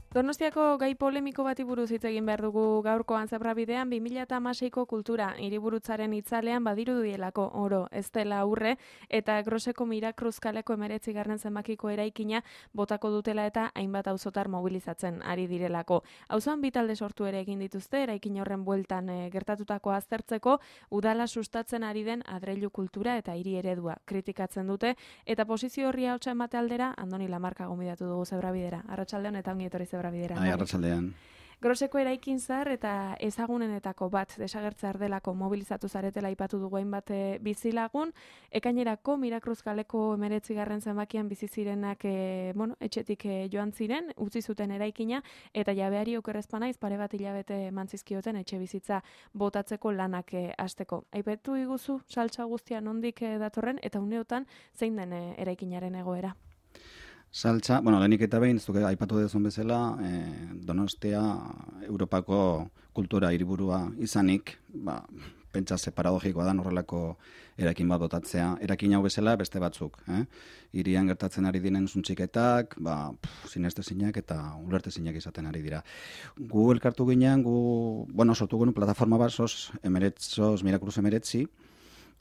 Donostiako gai polemiko bati buruz hitz egin behar dugu gaurkoan Zebrabidean 2016ko kultura hiriburutzaren itzalean badirudielako oro ez dela aurre eta Groseko Mirakruz kaleko 19. zenbakiko eraikina botako dutela eta hainbat auzotar mobilizatzen ari direlako. Auzoan bi talde sortu ere egin dituzte eraikin horren bueltan gertatutako aztertzeko udala sustatzen ari den adreilu kultura eta hiri eredua kritikatzen dute eta posizio horri ahotsa emate aldera Andoni Lamarca gonbidatu dugu Zebrabidera. Arratsaldeon eta ongi etorri Zebrabidera. Arratsaldean. Groseko eraikin zahar eta ezagunenetako bat desagertze ardelako mobilizatu zaretela aipatu dugu hainbat bizilagun. Ekainerako Mirakruz kaleko 19. zenbakian bizi zirenak etxetik joan ziren, utzi zuten eraikina eta jabeari okerrezpanaiz pare bat hilabete emantzizkioten etxe bizitza botatzeko lanak hasteko. Aipatu iguzu saltsa guztia nondik datorren eta uneotan zein den eraikinaren egoera. Saltza, lehenik eta behin, zuke aipatu dezun bezala, Donostia Europako kultura hiriburua izanik, pentsa ze paradogikoa da horrelako eraikin bat dotatzea. Eraikin hau bezala beste batzuk. Hirian gertatzen ari diren zuntziketak, sinestezinak eta ulertezinak izaten ari dira. Gu elkartu ginean, sortu genuen plataforma bat, sos Mirakruz 19,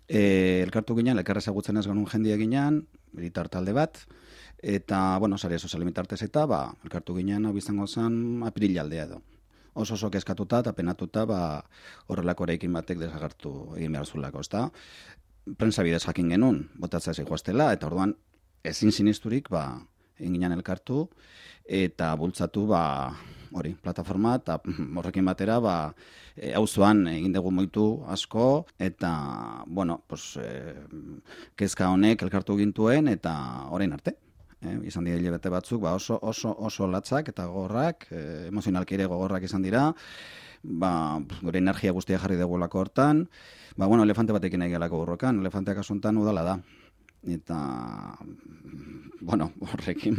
elkartu ginean, elkarra ezagutzen ez genuen jendia ginean, militar talde bat, eta, sare sozial mitartez eta, elkartu ginean, hau izango zen, aprilaldea edo. Oso kezkatuta eta penatuta, horrelako eraikin batek desagertu egin behar zulako, ezta? Prensa bidez jakin genuen, botatzea zijoaztela, eta orduan, ezin sinisturik, egin ginean elkartu, eta bultzatu, plataforma, eta horrekin batera, auzoan egin dugu moitu asko, eta, kezka honek elkartu gintuen, eta orain arte. Izan dira hilabete batzuk, oso latzak eta gogorrak, emozionalki ere gogorrak izan dira, gure energia guztia jarri dugulako hortan, elefante batekin nahi gelako borrokan, elefanteak asuntan udala da. Eta, horrekin,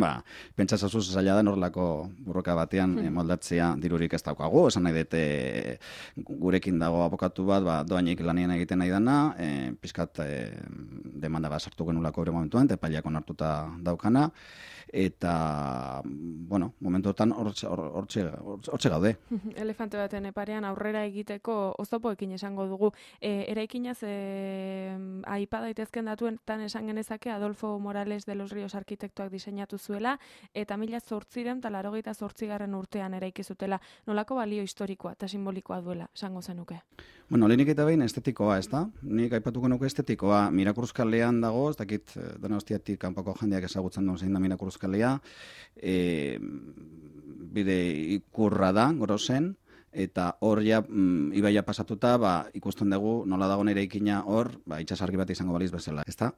pentsazazuz zaila da norlako borroka batean moldatzea dirurik ez daukagu. Esan nahi dute gurekin dago abokatu bat, doainik lanien egiten nahi dana, pizkat demanda bat sartu genulako ere momentuan, epaileak onartuta daukana, eta, momentu hortan hortxe gaude. Elefante baten parean aurrera egiteko oztopoekin esango dugu. Eraikinaz, aipa daitezken datuetan esan genezake Adolfo Morales de los Ríos arkitektoak diseinatu zuela, eta 1888 urtean eraiki zutela. Nolako balio historikoa eta simbolikoa duela, esango zenuke? Lehenik eta behin estetikoa, ez da? Nik aipatuko nuke estetikoa. Mirakruz kalean dago, ez dakit Donostiatik kanpoko jendeak ezagutzen duen zein da Mirakruz kalea, bide ikurra da, Grosen, eta hor ibaia pasatuta, ikusten dugu nola dagoen eraikina hor, itsasargi bat izango baliz bezala, ezta?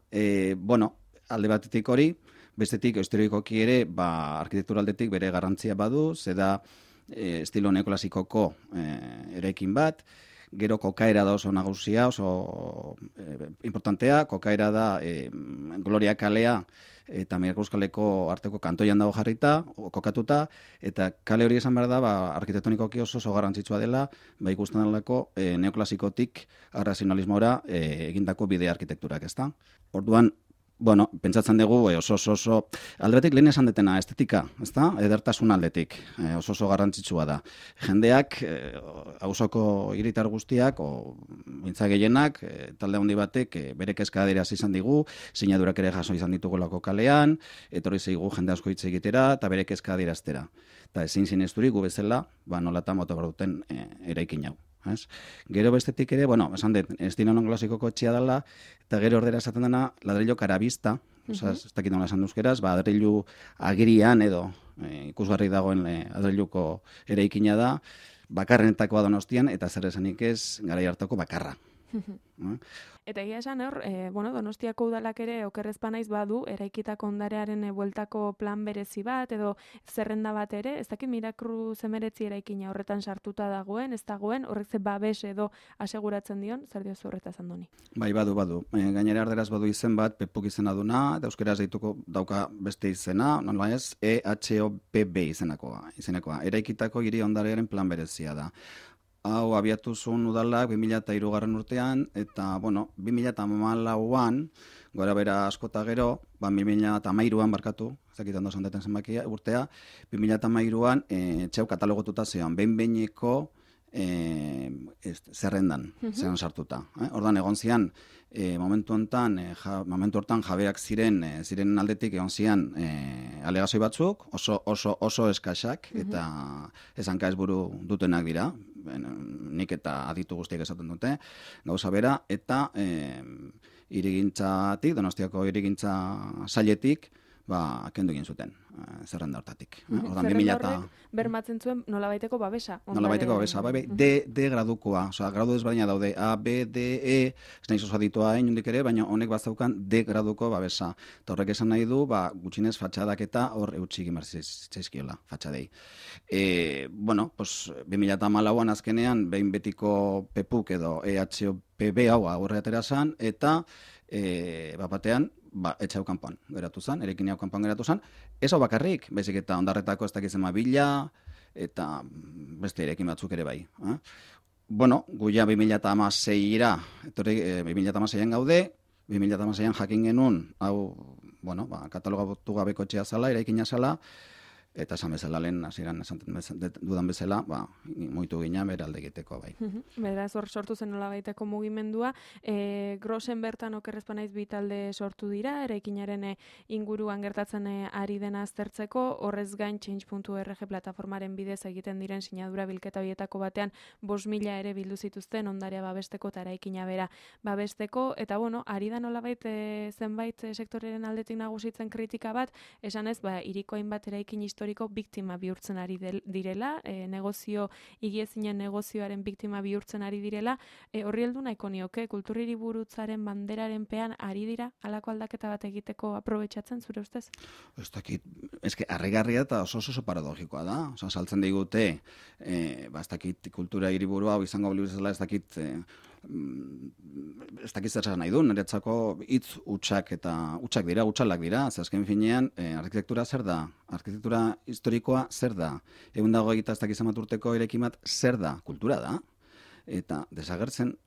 Alde batetik hori, bestetik historikoki ere, arkitektura aldetik bere garrantzia badu, zeda estilo neoklasikoko eraikin bat, gero kokaera da oso nagusia, oso importantea, kokaera da Gloria kalea eta Mirakruz kaleko arteko kantoian dago jarrita, kokatuta, eta kale hori esan behar da, arkitektonikoki oso garrantzitsua dela, ikusten delako neoklasikotik arrazionalismora egindako bide arkitekturak, ezta? Orduan, pentsatzen dugu oso aldetik lehen esan detena estetika, ezta? Edertasun aldetik, oso garrantzitsua da. Jendeak, auzoko hiritar guztiak, mintza gehienak, talde handi batek bere kezka adierazi izan digu, sinadurak ere jaso izan ditugulako kalean, etorri zaigu jende asko hitz egitera eta bere kezka adieraztera. Eta ezin sinesturik gu bezala, nolatan moto behar duten eraikin hau. Gero bestetik ere, esan dut, estilo neoklasikoko etxea dela, eta gero ordera esaten dena ladrillo karabista, ez dakit nola esan duzkeraz, adreilu agirian edo ikusgarri dagoen adreiluko eraikina da, bakarrenetakoa Donostian, eta zer esanik ez garai hartako bakarra. Eta egia esan hor, Donostiako udalak ere okerrezpanaiz badu, eraikitako ondarearen bueltako plan berezi bat, edo zerrenda bat ere, ez dakit Mirakruz 19 eraikina horretan sartuta dagoen, ez dagoen, horrek ze babes edo aseguratzen dion, zer diozu horretaz Andoni? Badu. Gainera arderaz badu izen bat, Pepuk izena duna, eta euskeraz deituko dauka beste izena, nola ez, EHOPB izenekoa. Eraikitako hiri ondarearen plan berezia da. hau abiatu zuen udalak 2003 urtean, eta, 2014an, gora bera askota gero, 2013an barkatu, zakitan dozan deten zenbakia urtea, 2013an txeu katalogotuta zeon, behin-behineko zerrendan, zeon sartuta. Ordan egon zian, momentu hortan jabeak ziren aldetik egon zian alegazio batzuk, oso eskasak, eta esanka ez buru dutenak dira, nik eta aditu guztiak esaten dute, gauza bera, eta irigintzatik, Donostiako irigintza sailetik, kendu egin zuten, zerrenda hortatik. Zerrenda horrek bermatzen zuen nolabaiteko babesa. Nolabaiteko babesa, D gradukoa, gradu ezberdina daude, A, B, D, E, ez nahi zozaditua inundik ere, baina honek bazaukan D graduko babesa. Eta horrek esan nahi du, gutxinez fatxadak eta hor eutxik imartzaizkiola, fatxadei. 2014an azkenean, behin betiko PEPUK edo EHOPB hau aurre atera zan, eta batean, etxau kanpoan geratu zen, erekin hau kanpoan geratu zen, ez hau bakarrik, baizik eta ondarretako ez dakitzen bila, eta beste erekin batzuk ere bai. Gu ja 2016-ra, 2016an gaude, 2016an jakin genuen, hau, katalogatu gabeko etxea zala, eraikina zala, eta esan bezala lehen, hasieran dudan bezala, mugitu gina bera alde egiteko bai. Beraz, hor sortu zen nolabaiteko mugimendua. Grosen bertan okerrezpanaiz bi talde sortu dira, eraikinaren inguruan gertatzen ari dena aztertzeko, horrez gain change.org plataformaren bidez egiten diren sinadura bilketa horietako batean 5.000 ere bildu zituzten ondarea babesteko eta eraikina bera babesteko, eta ari da nolabait zenbait sektoreren aldetik nagusitzen kritika bat, esanez, hiriko hainbat eraikin historiko biktima bihurtzen ari direla, higiezinen negozioaren biktima bihurtzen ari direla, horri heldu nahiko nioke, kulturhiriburutzaren banderaren pean ari dira halako aldaketa bat egiteko aprobetxatzen zure ustez? Ez dakit, harrigarria eta oso paradogikoa da, saltzen digute, ez dakit kultura hiriburua izango biluzela, ez dakit zer nahi du, niretzako hitz hutsak dira, hutsalak dira, azken finean, arkitektura zer da? Arkitektura historikoa zer da? 120 ez dakiz urteko eraikin bat zer da? Kultura da. Eta desagertzen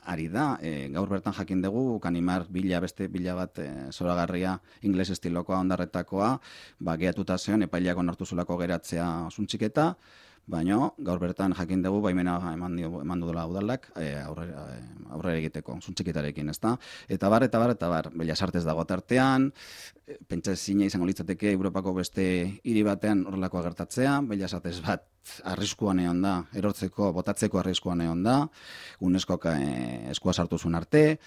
ari da, gaur bertan jakin dugu, Kanimar beste bila bat zoragarria ingles estilokoa ondarretakoa, gehatuta zeon, epaileak onartu zulako geratzea zuntxiketa, baina gaur bertan jakin dugu baimena eman dudala udalak aurrera egiteko, zuntxiketarekin, ezta? Eta bar, Bellas Artes dago tartean, pentsa ezina izango litzateke Europako beste hiri batean horrelako gertatzea, Bellas Artes bat arriskuan egon da, erortzeko, botatzeko arriskuan egon da, UNESCOk eskua sartu zuen arte.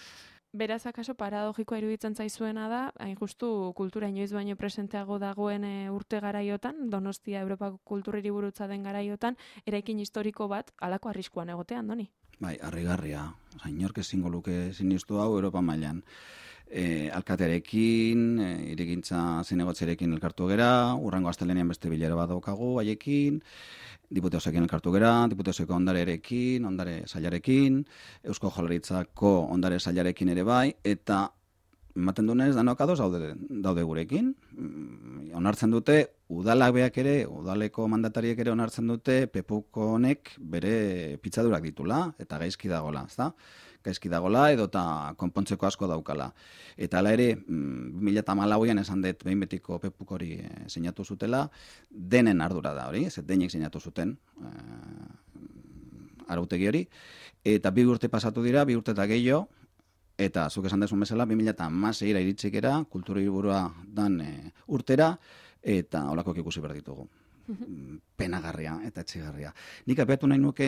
Beraz, akaso paradogikoa iruditzen zaizuena da, hain justu kultura inoiz baino presenteago dagoen urte garaiotan, Donostia Europako kulturhiriburutza den garaiotan, eraikin historiko bat halako arriskuan egotean, Doni? Bai, harrigarria. Inork ezingo luke sinistu hau Europa mailan. Alkatearekin, irigintza zinegotzearekin elkartu gera, urrengo astelenean beste bilera bat daukagu haiekin, Diputeosekin elkartu gera, Diputeoseko ondarearekin, ondare sailarekin, Eusko Jaurlaritzako ondare sailarekin ere bai, eta ematen dunez danok ados daude gurekin. Onartzen dute, udalak beak ere, udaleko mandatariek ere onartzen dute, PEPUK honek bere pitzadurak ditula, eta gaizki dagola, ezta? Gaizki dagola edota konpontzeko asko daukala. Eta hala ere, 2014an esan dut behin betiko PEPUK hori sinatu zutela, denen ardura da hori, denek sinatu zuten arautegi hori, eta 2 urte pasatu dira, 2 urte eta gehiago, eta zuk esan dezun bezala, 2016ra iritsikera, kulturhiriburua dan urtera, eta holakoak ikusi behar ditugu. Penagarria eta etxigarria. Nik apeatu nahi nuke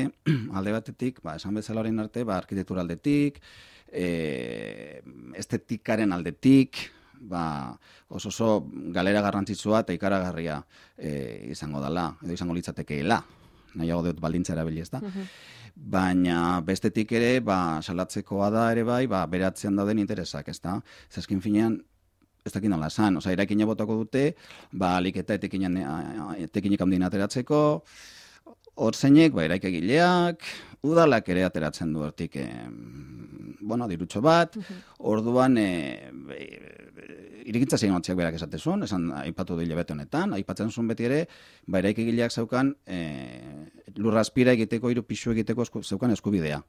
alde batetik, esan bezala horien arte, arkitektura aldetik, estetikaren aldetik, oso galera garrantzitsua eta ikaragarria izango dela, edo izango litzatekeela, nahiago dut baldintza erabili, ezta? Baina bestetik ere, salatzekoa da ere bai, beratzean dauden interesak, ezta? Zeskin finean, ez dakit nola esan, eraikina botako dute, alik eta etekinik handien ateratzeko, hor zeinek, eraikegileak, udalak ere ateratzen du hortik, dirutxo bat, orduan, irigintza zinotziak berak esan aipatu du hilabete honetan, aipatzen zuen beti ere, eraikegileak zeukan lurrazpira egiteko, hiru pisu egiteko zeukan eskubidea.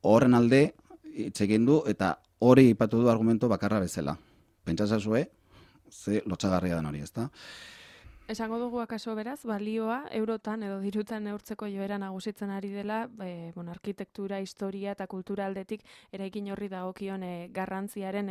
Horren alde hitz egin du eta hori aipatu du argumento bakarra bezala. Pentsazazue, ze lotxagarria den hori, ezta? Esango dugu akaso beraz, balioa eurotan edo dirutan neurtzeko joera nagusitzen ari dela, arkitektura, historia eta kultura aldetik eraikin horri dagokion garrantziaren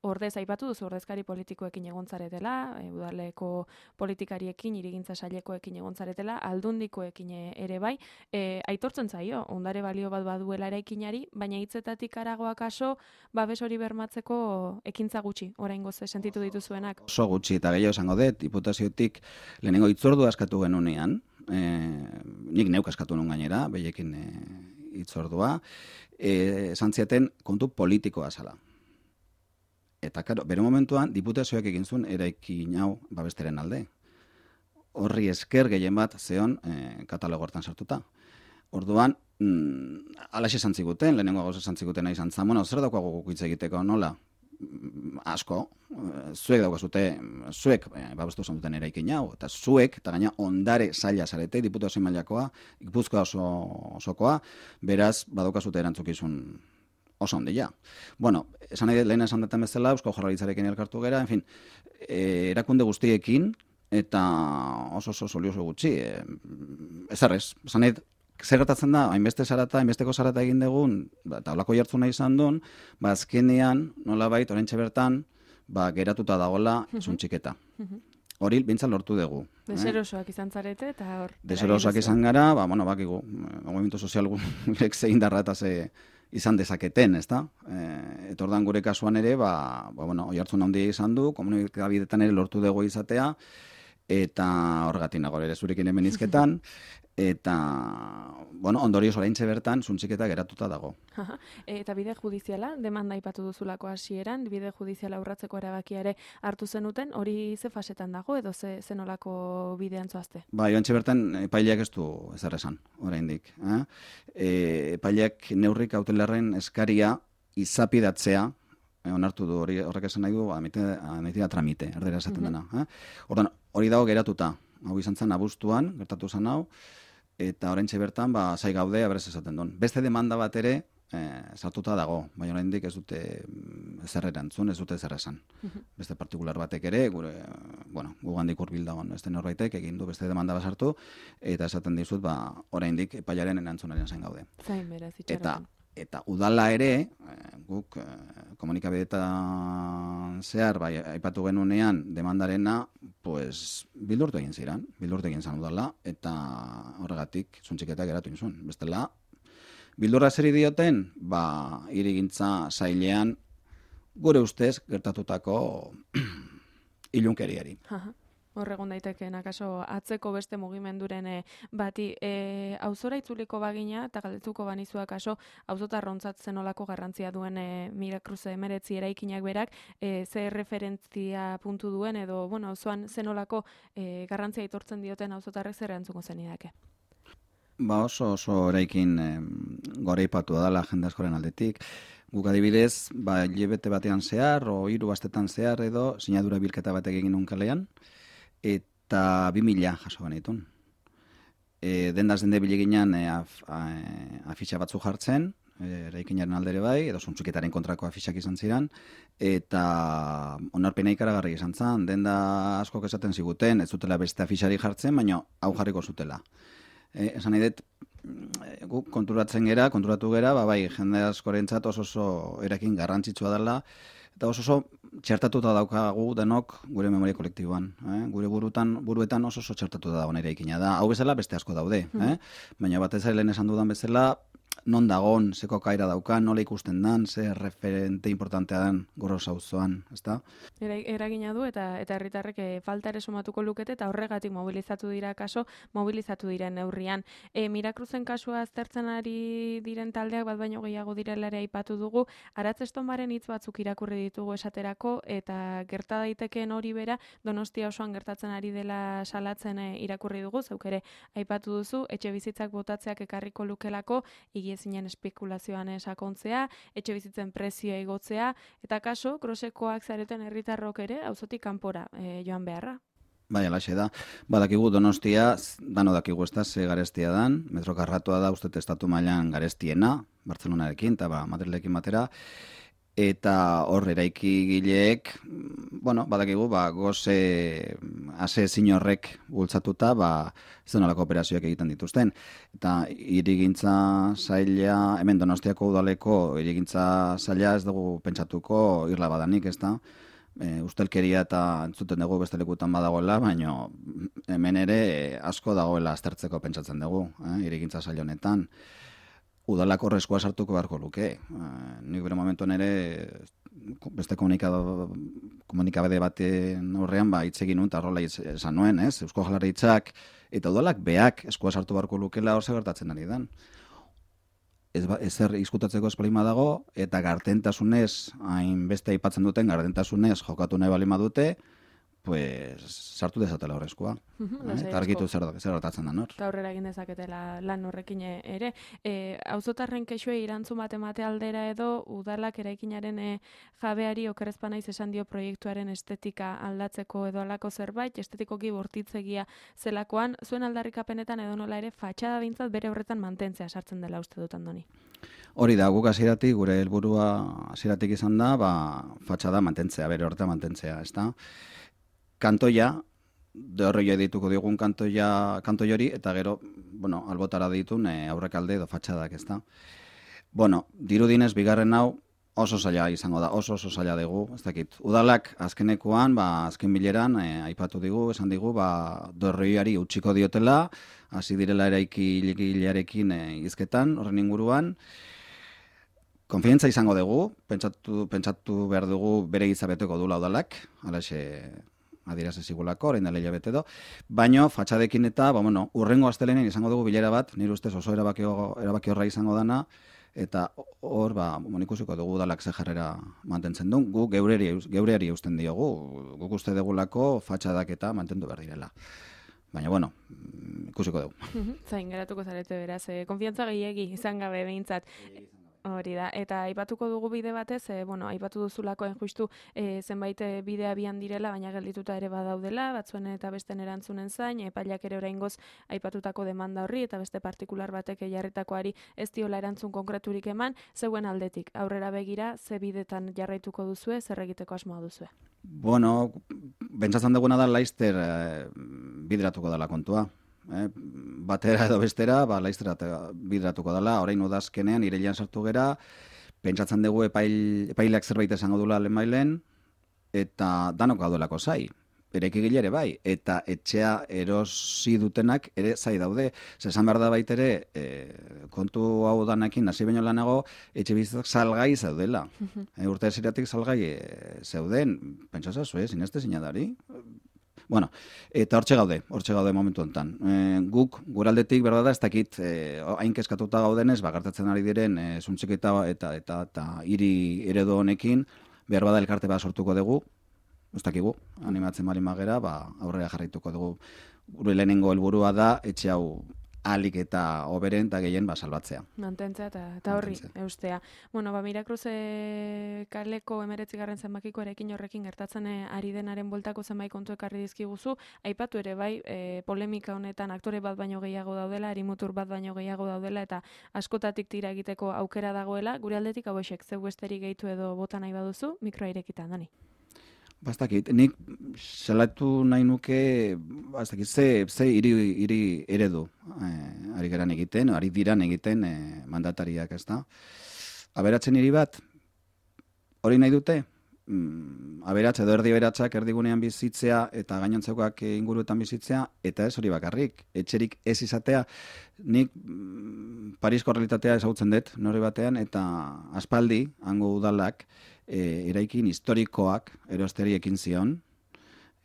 ordez aipatu duzu ordezkari politikoekin egontzaretela, udaleko politikariekin, hirigintza sailekoekin egontzaretela, aldundikoekin ere bai, aitortzen zaio, ondare balio bat baduela eraikinari, baina hitzetatik harago akaso, babes hori bermatzeko ekintza gutxi, oraingoz sentitu dituzuenak. Oso gutxi eta gehiago esango dut, diputaziotik lehenengo hitzordua askatu genunean, nik neuk askatu nuen gainera, behekin hitzordua, esan ziaten kontu politikoa zala. Eta, karo, bere momentuan, diputazioak egin zuen eraikin hau babesteren alde. Horri esker gehien bat zeon katalogo hortan sartuta. Orduan, alaxe esan ziguten, lehenengo gauza esan ziguten nahi zantzan, zer daukago guk hitz egiteko nola? Asko, zuek babestu zen duten eraikin hau, eta zuek, eta gaina ondare saila zarete, diputazio mailakoa, Gipuzkoa osokoa, beraz, badaukazute erantzukizun oso ondia. Bueno, esan nahi lehen esan duten bezala, Eusko Jaurlaritzarekin elkartu gera, en fin, erakunde guztiekin, eta oso solioso gutxi, ezarrez, esan nahi, zer gertatzen da, hainbesteko zarata egin dugun, eta holako jartzuna izan duen, azkenean, nolabait, oraintxe bertan, geratuta dagoela zuntxiketa. Hori bintzat lortu dugu. Deserosoak izan zarete, eta hor. Deserosoak izan gara, bakigu, movimiento sozial gurek zein darra eta ze izan dezaketen, ezta? Eta ordan gure kasuan ere, oi hartzun handia izan du, komunikabidetan ere lortu dugu izatea, eta horregatik nago ere zurekin hemen izketan, eta, ondorioz oraintxe bertan, zuntxiketa geratuta dago. Eta bide judiziala, demanda aipatu duzulako hasieran, bide judiziala urratzeko erabakia ere hartu zenuten, hori ze fasetan dago, edo ze nolako bidean zoazte? Joantxe bertan, epaileak ez du ezer esan, oraindik. Epaileak neurrik hautelarren eskaria izapidatzea, onartu du horrek esan nahi du, admitida tramite, erdera esaten dena. Ordan, hori dago geratuta, hau izan zen abuztuan, gertatu zen hau, eta oraintxe bertan, zai gaude, aberrez esaten duen. Beste demanda bat ere, sartuta dago, baina oraindik ez dute ezer erantzun, ez dute ezer esan. Beste partikular batek ere, gugandik hurbil dagoen, ez den horbaitek egin du beste demanda bat sartu, eta esaten dizut, oraindik epailaren erantzunaren zain gaude. Zain beraz, itxaroten. Eta udala ere, guk komunikabideetan zehar, aipatu genunean demandarena, bildurtu egin zan udala, eta horregatik zuntxiketa geratu inzun. Bestela, bildurra zer dioten, hirigintza sailean, gure ustez gertatutako ilunkeriari. Horregun daitekeen, akaso atzeko beste mugimenduren bati auzora itzuliko bagina, eta galdetuko banizu akaso auzotarrontzat zenolako garrantzia duen Miracruze 19 eraikinak berak, ze referentzia puntu duen, edo, auzoan zenolako garrantzia aitortzen dioten auzotarrek zer erantzuko zenidake? Oso eraikin goreipatu dela jende askoren aldetik. Guk adibidez, hilabete batean zehar, o 3 astetan zehar edo, sinadura bilketa batek egin nun kalean, eta 2000 jaso genitun. Dendaz dende bileginan afitxa batzu jartzen, eraikinaren aldere bai, edo zuntxuketaren kontrako afitxak izan ziren, eta onarpena ikaragarri izan zen, denda askok esaten ziguten, ez zutela beste afitxari jartzen, baina hau jarriko zutela. Esan nahi dut, guk konturatu gera, jende askorentzat oso erakin garrantzitsua dela, eta oso txertatuta daukagu denok gure memoria kolektiboan. Gure buruetan oso txertatuta dago nire ikina da. Hau bezala beste asko daude. Baina batez ere lehen esan dudan bezala, non dagon, zeko kaira daukan, nola ikusten dan, ze referente importantea den Goroz auzoan, ezta? Eragina du eta herritarrek falta ere sumatuko lukete eta horregatik mobilizatu diren neurrian. Miracruzen kasua aztertzen ari diren taldeak bat baino gehiago direla ere aipatu dugu, Aratzestonbaren hitz batzuk irakurri ditugu esaterako eta gerta daitekeen hori bera Donostia osoan gertatzen ari dela salatzen irakurri dugu, zeuk ere aipatu duzu, etxe bizitzak botatzeak ekarriko lukelako, higiezinen espekulazioan sakontzea, etxe bizitzen prezioa igotzea, eta kaso, Grosekoak zareten herritarrok ere, auzotik kanpora joan beharra. Bai, alaxe da. Badakigu Donostia, dano dakigu ezta, ze garestia dan, metro karratua da uste estatu mailan garestiena, Bartzelonarekin, eta Madrilekin batera, eta hor eraikigileek, badakigu, goze asezin horrek bultzatuta, ez nolako operazioak egiten dituzten. Eta hirigintza zaila, hemen Donostiako udaleko hirigintza zaila ez dugu pentsatuko irla badanik, ez da? Ustelkeria eta entzuten dugu beste lekutan badagoela, baina hemen ere asko dagoela aztertzeko pentsatzen dugu, hirigintza zaila honetan. Udalak horrezkoa sartuko beharko luke. Nik bere momentuan ere beste komunikabide baten horrean hitz egin nuen, eta horrela esan nuen, Eusko Jaurlaritzak eta udalak beak eskua sartu beharko lukela hor gertatzen ari dan. Ezer izkutatzeko espolima dago, eta gardentasunez, hainbeste aipatzen duten gardentasunez jokatu nahi balima dute, pues sartu dezatela horrezkoa. Eta argitu zer gertatzen da nor. Eta aurrera egin dezaketela lan horrekin ere. Auzotarren kexuei erantzun bat emate aldera edo, udalak eraikinaren jabeari okerrezpa naiz esan dio proiektuaren estetika aldatzeko edo alako zerbait, estetikoki bortitzegia zelakoan, zuen aldarrikapenetan edo nola ere fatxada bintzat bere horretan mantentzea sartzen dela uste dut Andoni. Hori da, guk hasieratik, gure helburua hasieratik izan da, fatxada mantentzea, bere horretan mantentzea, ezta? Kantoia, horrela dituko diogun kantoi hori, eta gero, albotara ditun aurrekalde edo fatxadak, ezta? Dirudinez, bigarren hau oso zaila izango da, oso zaila dugu, ez dakit. Udalak azkenekoan, azken bileran, aipatu digu, esan digu, dorroiari utziko diotela, hasi direla eraikilearekin hizketan, horren inguruan. Konfiantza izango dugu, pentsatu behar dugu bere gizabeteko dula udalak, alaxe adieraz ezigulako, orain dela hilabete edo, baino fatxadekin eta, urrengo astelenen izango dugu bilera bat, nire ustez oso erabaki horra izango dana, eta hor, ikusiko dugu udalak ze jarrera mantentzen duen, guk geureari eusten diogu, guk uste dugulako fatxadak eta mantendu behar direla. Baina, ikusiko dugu. Zain, geratuko zarete beraz, konfiantza gehiegi izan gabe behintzat. Hori da, eta aipatuko dugu bide batez, aipatu duzulako justu zenbait bidea bian direla, baina geldituta ere badaudela, batzuen eta besten erantzunen zain, epailak ere oraingoz aipatutako demanda horri, eta beste partikular batek jarritakoari ez diola erantzun konkreturik eman, zeuen aldetik, aurrera begira, ze bidetan jarraituko duzue, zer egiteko asmoa duzue? Bentsatzen duguna da laizter bideratuko dela kontua. Batera edo bestera, laiztera bideratuko dela, orain udazkenean, irailean sartu gera, pentsatzen dugu epaileak zerbait esango dula lehenbailen, eta danok gaudelako zai, eraikigile ere bai, eta etxea erosi dutenak ere zai daude. Esan behar da baitere, kontu hau danakin, hasi baino lanago, etxe bizitzak salgai zaudela. Urte esiratik salgai zeuden, pentsatzen zinezte zinadari. Eta hortxe gaude momentu honetan. Guk, guraldetik, berda da, ez dakit, hain keskatuta gaudenez, gertatzen ari diren, zuntxiketa eta hiri eredu honekin, behar bada elkarte bat sortuko dugu, ez dakigu, animatzen bali magera, aurrera jarraituko dugu. Gure lehenengo helburua da, etxe hau alik eta oberen eta gehien salbatzea. Mantentzea eta horri eustea. Mirakruz kaleko 19. zenbakiko erekin horrekin gertatzen ari denaren bueltako zenbait kontu ekarri dizkiguzu, aipatu ere bai, polemika honetan aktore bat baino gehiago daudela, arimutur bat baino gehiago daudela, eta askotatik tira egiteko aukera dagoela, gure aldetik hauexek, zeu besterik gehitu edo bota nahi baduzu, mikroa irekitan, Dani. Bastakit, nik salatu nahi nuke, ze hiri eredu ari geran egiten, ari diran egiten mandatariak, ez da. Aberatzen hiri bat, hori nahi dute, aberatza edo erdi aberatsak erdigunean bizitzea eta gainontzekoak inguruetan bizitzea, eta ez hori bakarrik, etxerik ez izatea. Nik Parisko realitatea ezagutzen dut, nori batean, eta aspaldi, hango udalak, eraikin historikoak erosteri ekin zion,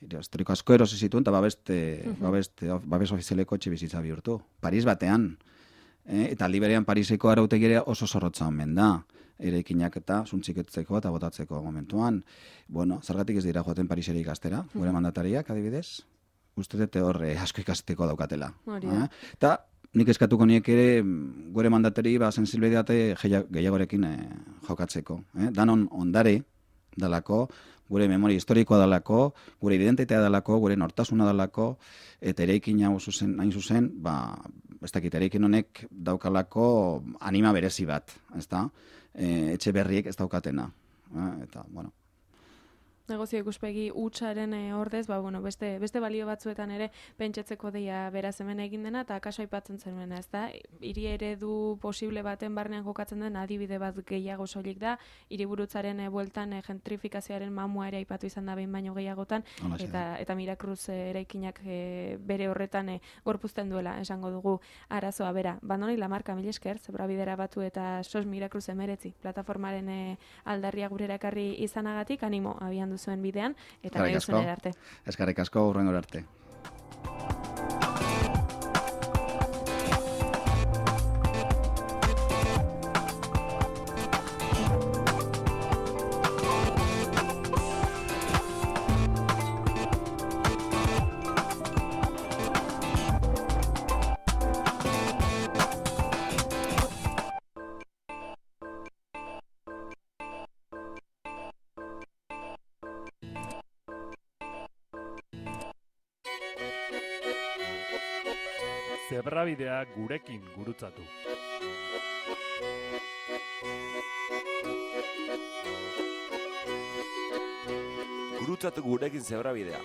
historiko asko erosi zituen, eta babes ofizialeko etxe bizitza bihurtu. Paris batean, eta liberean Pariseko arautegirea oso zorrotza omen da, eraikinak eta zuntziketzeko eta botatzeko momentuan. Zergatik ez dira joaten Parisera ikastera, gure mandatariak adibidez, uste dute horre asko ikasteko daukatela. Eta nik eskatuko niek ere gure mandatari sensibilitate gehiagorekin jokatzeko. Danon ondare dalako, gure memoria historikoa dalako, gure identitatea dalako, gure nortasuna dalako, eta eraikin hau hain zuzen, ez dakit, eraikin honek daukalako anima berezi bat, ezta? Etxe berriek ez daukatena. Eta, bueno, negozio ikuspegi hutsaren ordez, beste balio batzuetan ere pentsatzeko deia beraz hemen egin dena, eta kaso aipatzen zenuen, ez da? Hiri eredu posible baten barnean jokatzen den adibide bat gehiago soilik da, hiriburutzaren bueltan gentrifikazioaren mamua ere aipatu izan da behin baino gehiagotan, eta Mirakruz eraikinak bere horretan gorpuzten duela, esango dugu arazoa bera. Bandoni Lamarka, mil esker, Zebrabidera batu eta SOS Mirakruz 19 plataformaren aldarria gurera ekarri izanagatik, animo abian zuen bidean, eta nahi duzuen arte. Eskerrik asko, hurrengora arte. Zebrabidea gurekin gurutzatu. Gurutzatu gurekin Zebrabidea.